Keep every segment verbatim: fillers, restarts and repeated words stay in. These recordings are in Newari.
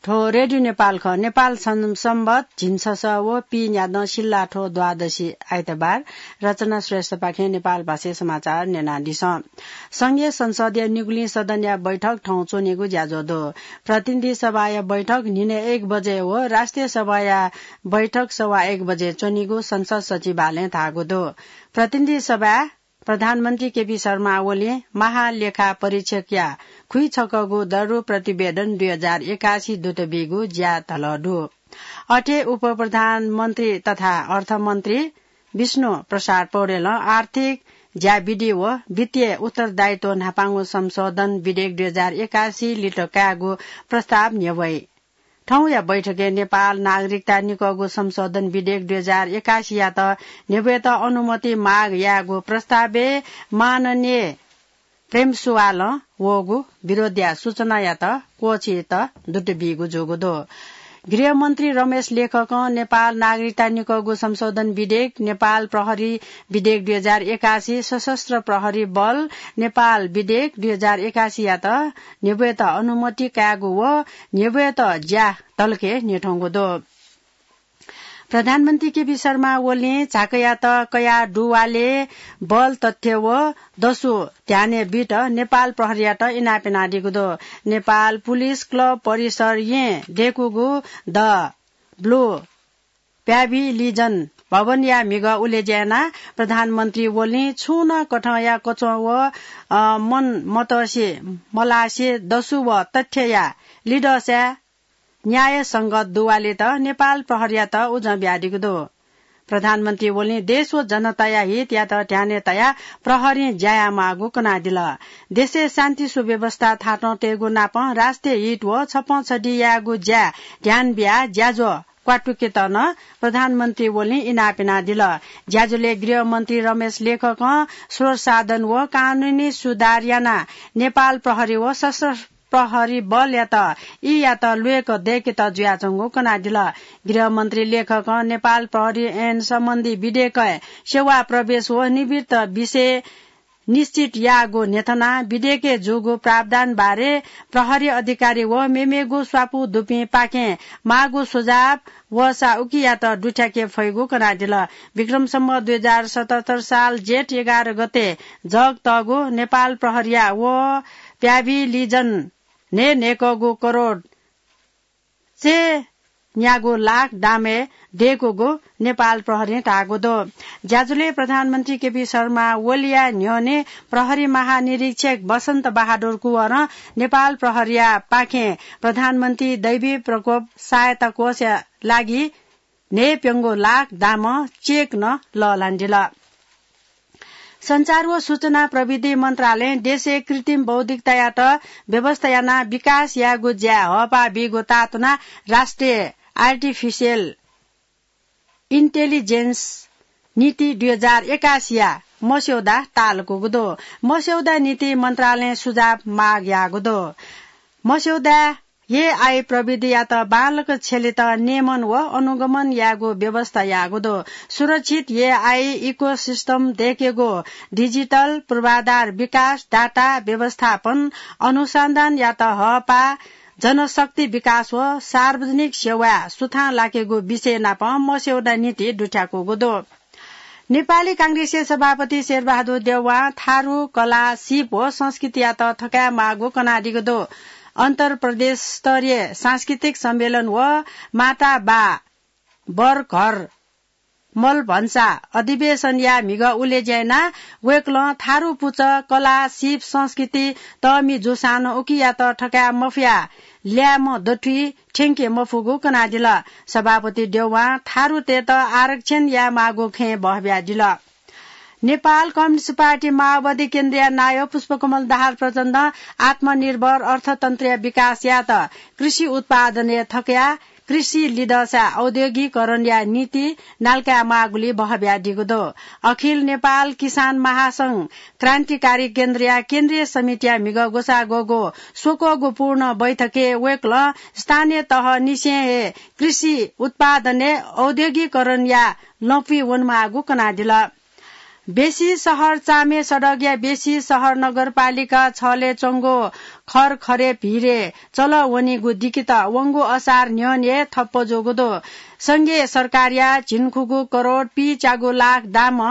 थ्व रेडियो नेपाल खः। नेपाल सं-, संवत झिंछसः व पीन्यादँ सिल्लाथ्व द्वादशी आइतबार। रचना श्रेष्ठपाखें नेपाल भाषाय् समाचार न्यनादिसँ। संघीय संसदया निगुलिं सदनया बैठक थौं च्वनीगु ज्याझ्वः दु। प्रतिनिधि सभाया बैठक न्हिनय् एक बजे व राष्ट्रिय सभाया बैठक सवा एक बजे च्वनीगु संसद सचिवालयं धाःगु दु। प्रतिनिधि सभाय् प्रधानमन्त्री केपी शर्मा ओलीं महालेखा परीक्षकया खुइछकःगु दरु प्रतिवेदन दुई हजार एकासी दूत बीगु ज्या धलः दु। अथे उपप्रधानमन्त्री तथा अर्थमन्त्री विष्णु प्रसाद पौडेलं आर्थिक ज्याविधि व वित्तीय उत्तरदायित्व न्हापांगु संशोधन विधेयक दुई हजार एकासी लित कायेगु प्रस्ताव न्ह्यब्वइ। थौंया बैठकय् नेपाल नागरिकता निकःगु संशोधन विधेयक दुई हजार एकासीयात न्ह्यब्वयेत अनुमति माग यायेगु प्रस्तावय् माननीय प्रेमसुवालं वःगु विरोधया सूचनायात क्वःछियेत दूत बीगु जूगु दु। गृहमन्त्री रमेश लेखकं नेपाल नागरिकता निकःगु संशोधन विधेयक, नेपाल प्रहरी विधेयक दुई हजार एकासी, सशस्त्र प्रहरी बल, नेपाल विधेयक दुई हजार एकासीयात न्ह्यब्वयेत अनुमति कायेगु व न्ह्यब्वयेत ज्या तलके न्ह्यथंगु दु। प्रधानमन्त्री केपी शर्मा ओलीं झाँक्रीयात कयाः दुवाले बल तथ्य व दसु ध्यानय् बीत नेपाल प्रहरीयात इनाप यानादीगु दु। नेपाल पुलिस क्लब परिसर येँ दय्‌कूगु द ब्लु प्याभिलिजन भवनया म्हिगः उलेज्या यानाः प्रधानमन्त्री ओलीं छुं नं कथंया कच्वँ व, अ, मन मतसे मलासे दसु व तथ्यया लिदःसाय् न्यायसंगत दुवालेत नेपाल प्रहरीयात उजं बियादीगु दु। प्रधानमन्त्री ओलीं देश व जनताया हितयात ध्यानय् तयाः प्रहरीं ज्या यायेमाःगु कनादिल। देशय् शान्ति सुव्यवस्था थातं तयेगु नापं राष्ट्रिय हित व छप्पँ छधि यायेगु ज्याय् ध्यान बियाः ज्याझ्वः क्वातुकेत नं प्रधानमन्त्री ओलीं इनाप यानादिल। ज्याझ्वलय् गृहमन्त्री रमेश लेखकं स्रोत साधन व कानूनी सुधार यानाः नेपाल प्रहरी व सशस्त्र प्रहरी बलयात यीयात ल्वय्‌क दय्‌केत जुयाच्वंगु कनादिल। गृहमन्त्री लेखकं नेपाल प्रहरी ऐन सम्बन्धी विधेयकय् सेवा प्रवेश व निवृत्त विषय निश्चित याःगु न्ह्यथनाः विधेयकय् जूगु प्रावधान बारे प्रहरी अधिकारी व मेमेगु स्वापू दुपिंपाखें माःगु सुझाव वःसा उकियात दुथ्याके फइगु कनादिल। विक्रम सम्वत दुई हजार सतहत्तर साल जेठ एघार गते जग तःगु नेपाल प्रहरीया व प्याभिलिजन न्हय्‌न्हय्‌कःगु करोड चय्‌न्यागू लाख दामय् दय्‌कूगु नेपाल प्रहरीं धाःगु दु। ज्याझ्वलय् प्रधानमन्त्री केपी शर्मा ओलीया न्ह्यःने प्रहरी महानिरीक्षक बसन्त बहादुर कुँवरं नेपाल प्रहरीया पाखें प्रधानमन्त्री दैवी प्रकोप सहायता कोषया लागि न्हय्‌प्यंगू लाख दामं चेक नं लःल्हानादिल। सञ्चार व सूचना प्रविधि मन्त्रालयं देशय् कृत्रिम बौद्धिकतायात व्यवस्था यानाः विकास यायेगु ज्याय् हःपाः बीगु ताःतुनाः राष्ट्रिय आर्टिफिसियल इन्टेलिजेन्स नीति दुई हजार एकासीया मस्यौदा ताःलाकूगु दु। मस्यौदा नीति मन्त्रालयं सुझाव माग याःगु दु। मस्यौदाय् एआई प्रविधियात बांलाक छ्यलेत नियमन व अनुगमन यायेगु व्यवस्था याःगु दु। सुरक्षित एआई इकोसिस्टम दय्‌केगु, डिजिटल पूर्वाधार विकास, डाटा व्यवस्थापन, अनुसन्धानयात हःपाः, जनशक्ति विकास व सार्वजनिक सेवाय् सुथां लाकेगु विषय नाप मस्यौदा नीति दुथ्याकूगु दु। नेपाली कांग्रेसया सभापति शेरबहादुर देउवां थारु कला, सीप व संस्कृतियात थकायेमाःगु कनादीगु दु। अन्तर्प्रदेश स्तरीय सांस्कृतिक सम्मेलन व माता बा बर घर मलभन्सा अधिवेशनया म्हिगः उलेज्या यानाः वय्‌कलं थारु पुचः, कला, सीप, संस्कृति तःमि जूसां नं उकियात थकाये मफयाः ल्याय्म्ह दथुइ थ्यंके मफुगु कनादिल। सभापति देउवां थारुतय्‌त आरक्षण यायेमाःगु खँय् बहःबियादिल। नेपाल कम्युनिस्ट पार्टी माओवादी केन्द्रया नायः पुष्पकमल दाहाल प्रचण्डं आत्मनिर्भर अर्थतन्त्रया विकास यायेत कृषि उत्पादनय् थकयाः कृषि लिधःसा औद्योगिकरणया नीति नालकायेमाःगुली बहःबियादीगु दु। अखिल नेपाल किसान महासंघ क्रान्तिकारी केन्द्रया केन्द्रीय समितिया म्हिगः ग्वसाः ग्वःगु स्वक्वःगु पूर्ण बैठकय् वय्‌कलं स्थानीय तहनिसें हे कृषि उत्पादनय् औद्योगिकरणया लँपुइ वनेमाःगु कनादिल। बेसी सहर चामे सडकया बेसी सहर नगरपालिका छले च्वंगु खरखरे भिरे चल वनीगु दिकित वंगु असार न्ह्यःने ठप्प जूगु दु। संघीय सरकारया झिंखुगू करोड पीच्यागू लाख दाम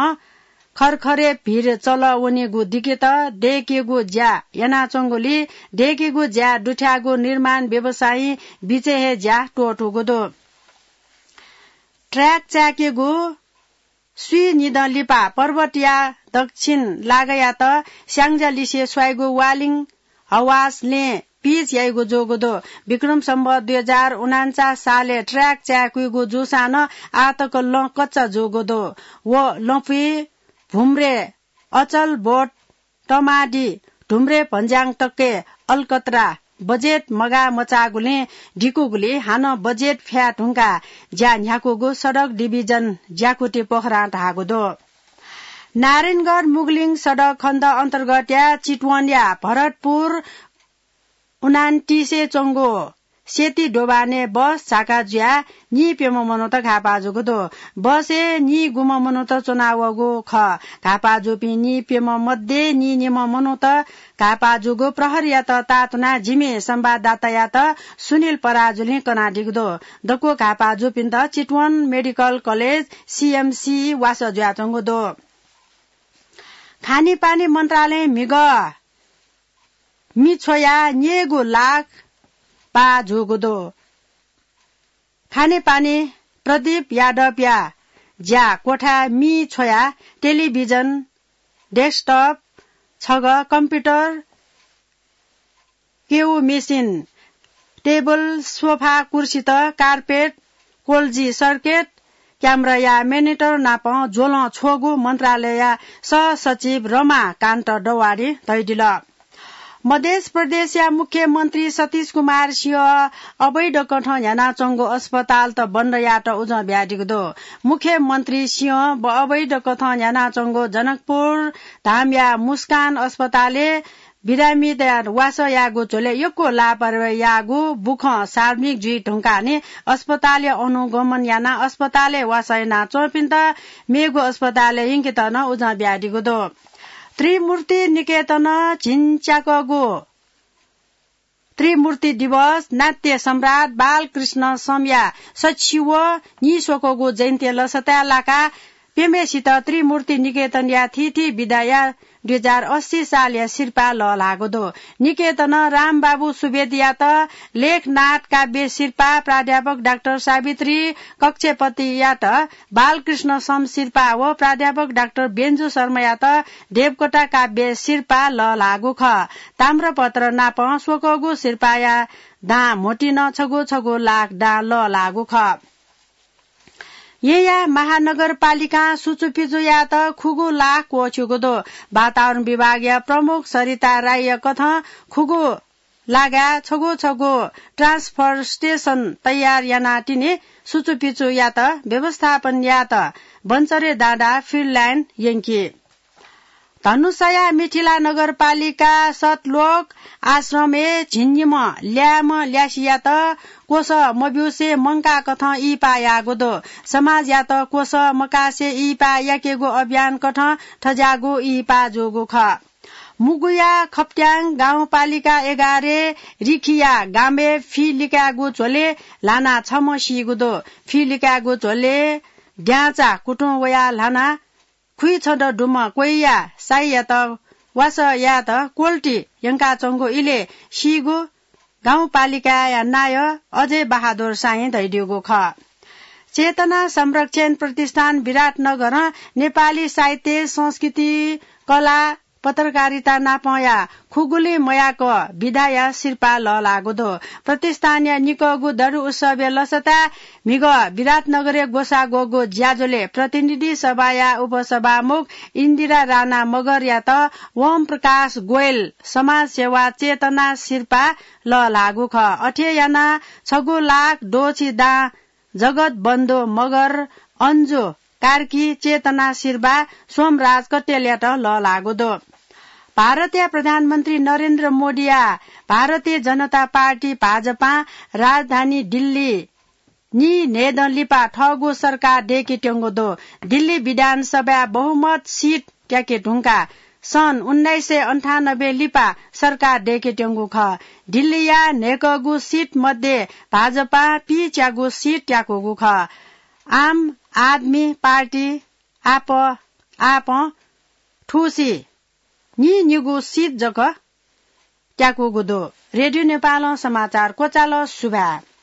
खरखरे भिर चल वनीगु दिकित दय्केगु ज्या यानाच्वंगुली दय्केगु ज्या दुथ्याःगु निर्माण व्यवसायी बिचय् हे ज्या त्वःतूगु दु। ट्र्याक चाय्केगु स्वीनिदँ लिपा पर्वतया दक्षिण लागयात स्याङ्जालिसे स्वाइगु वालिङ हवास लँय् पिच याइगु जूगु दु। विक्रम सम्वत दुई हजार उनान्चास सालय् ट्र्याक चाय्कुइगु जूसां नं आःतक लँ कच्चा जूगु दु। व लँपुइ भुम्रे अचलबोट तमादी ढुम्रे भन्ज्याङ तक्के अलकत्रा बजेट मगाः मचाःगुलिं दिकूगुली हानं बजेट फ्याये धुंकाः ज्या न्ह्याकूगु सडक डिभिजन ज्याकुथि पोखरां धाःगु दु। नारायणगढ मुगलिङ सडक खण्ड अन्तर्गतया चितवनया भरतपुर उनान्तिसय् च्वंगु सेती दोभानय् बस झाका जुयाः नीप्यम्ह मनूत घाःपाः जूगु दु। बसय् नीगुम्ह मनूत च्वनावःगु खः। घाःपाः जूपिं नीप्यम्ह मध्ये नीनिम्ह मनूत घाःपाः जूगु प्रहरीयात ताःतुनाः जिमि संवाददातायात सुनिल पराजुलिं कनादीगु दु। दक्व घाःपाः जूपिन्त चितवन मेडिकल कलेज, सीएमसी, वासः जुयाच्वंगु दु। खानेपानी मन्त्रालयं म्हिगः मि छ्वयाः न्यय्गू लाख पाः जूगु दु। खानेपानी प्रदीप यादवया ज्या क्वथाय् मि छ्वयाः टेलिभिजन, डेस्कटप, छगः कम्प्युटर, केउ मेसिन, टेबल, सोफा, कुर्सीत, कार्पेट, कोल्जी सर्किट, क्यामेराया मनिटर नाप ज्वलं छ्वःगु मन्त्रालयया सहसचिव रमाकान्त दवाडीं धयादिल। मध्य प्रदेशया मुख्यमन्त्री सतीश कुमार सिंह अवैध कथं न्ह्यानाच्वंगु अस्पतालत बन्द यायेत उजं बियादीगु दु। मुख्यमन्त्री सिंह ब-, अवैध कथं न्ह्यानाच्वंगु जनकपुर धामया मुस्कान अस्पतालय् बिरामीतय् वासः यायेगु झ्वलय् यक्व लापरवाही याःगु बुखँ सार्वजनिक जुइ धुंकाः नि अस्पतालय् अनुगमन यानाः अस्पतालय् वासः यानाच्वंपिन्त मेगु अस्पतालय् यंकेत नं उजं बियादीगु दु। त्रिमूर्ति निकेतनं झिंच्याकःगु त्रिमूर्ति दिवस नाट्य सम्राट बालकृष्ण समया सछि व निस्वकःगु जयन्ती लसताय् लाकाः प्यम्हेसित त्रिमूर्ति निकेतनया थीथी विधाया दुई हजार अस्सी सालया सिरपाः लःल्हाःगु दु। निकेतनं रामबाबु सुवेदीयात लेखनाथ काव्य सिरपाः, प्राध्यापक डाक्टर सावित्री कक्षेपतियात बालकृष्ण सम सिरपाः व प्राध्यापक डाक्टर बेन्जु शर्मायात देवकोटा काव्य सिरपाः लःल्हाःगु खः। ताम्रपत्र नाप स्वकःगु सिरपाःया दां म्होतिं छगू छगू लाख दां लःल्हाःगु खः। येँया महानगरपालिकां सुचुपिचु यायेत खुगू लाख क्वःछिउगु दु। वातावरण विभागया प्रमुख सरिता राईया कथं खुगू लागाय् छगू छगू ट्रान्सफर स्टेसन तयार यानाः तिनि सुचुपिचु यायेत व्यवस्थापन यायेत बन्चरे डाँडा फिल्ड लाइन यंकी। धनुषाया मिथिला नगरपालिका सतलोक आश्रमय् झिंनिम्ह ल्याय्म्ह ल्यासियात क्वसः मब्यूसे मंकाः कथं इहिपाः याःगु दु। समाजयात क्वसः मकासे इहिपाः याकेगु अभियान कथं थज्याःगु इहिपाः जूगु खः। मुगुया खप्त्याङ गाउँपालिका एघारय् रिखिया गामय् फि लिकायेगु झ्वलय् ल्हानाः छम्ह सीगु दु। फि लिकायेगु झ्वलय् द्याँचा कुतुं वयाः ल्हानाः खुइछदँ दुम्ह क्वय्या साइयात वासः यायेत क्वल्टी यंकाच्वंगु इलय् सीगु गाउँपालिकाया नायः अजय बहादुर साइं धयादीगु खः। चेतना संरक्षण प्रतिष्ठान विराटनगरं नेपाली साहित्य, संस्कृति, कला, पत्रकारिता नापंया खुगुलिं मयाक विधाया सिरपाः लःल्हाःगु दु। प्रतिष्ठानया निकःगु दरु उत्सवया लसताय् म्हिगः विराटनगरय् ग्वसाः ग्वःगु ज्याझ्वलय् प्रतिनिधि सभाया उपसभामुख इन्दिरा राणा मगरयात वम प्रकाश गोयल समाजसेवा चेतना सिरपाः लःल्हाःगु खः। अथे यानाः छगू लाख द्वःछि दां जगत बन्धु मगर, अन्जु कार्की, चेतना सिरपाः सोमराज कट्टेलयात लःल्हाःगु दु। भारतया प्रधानमन्त्री नरेन्द्र मोदीया भारतीय जनता पार्टी भाजपां राजधानी दिल्ली नीन्हय्दँ लिपा थःगु सरकार दय्केत्यंगु दु। दिल्ली विधानसभाय् बहुमत सिट त्याके धुंकाः सन् उन्नाइस सय अन्ठानब्बे लिपा सरकार दय्केत्यंगु खः। दिल्लीया न्हय्कःगु सिट मध्ये भाजपां पीच्यागु सिट त्याकूगु खः। आम आदमी पार्टी आप, आपं थुसी नीनिगू सिट जक त्याकूगु दु। रेडियो नेपालं समाचार क्वचाल। सुभाय्।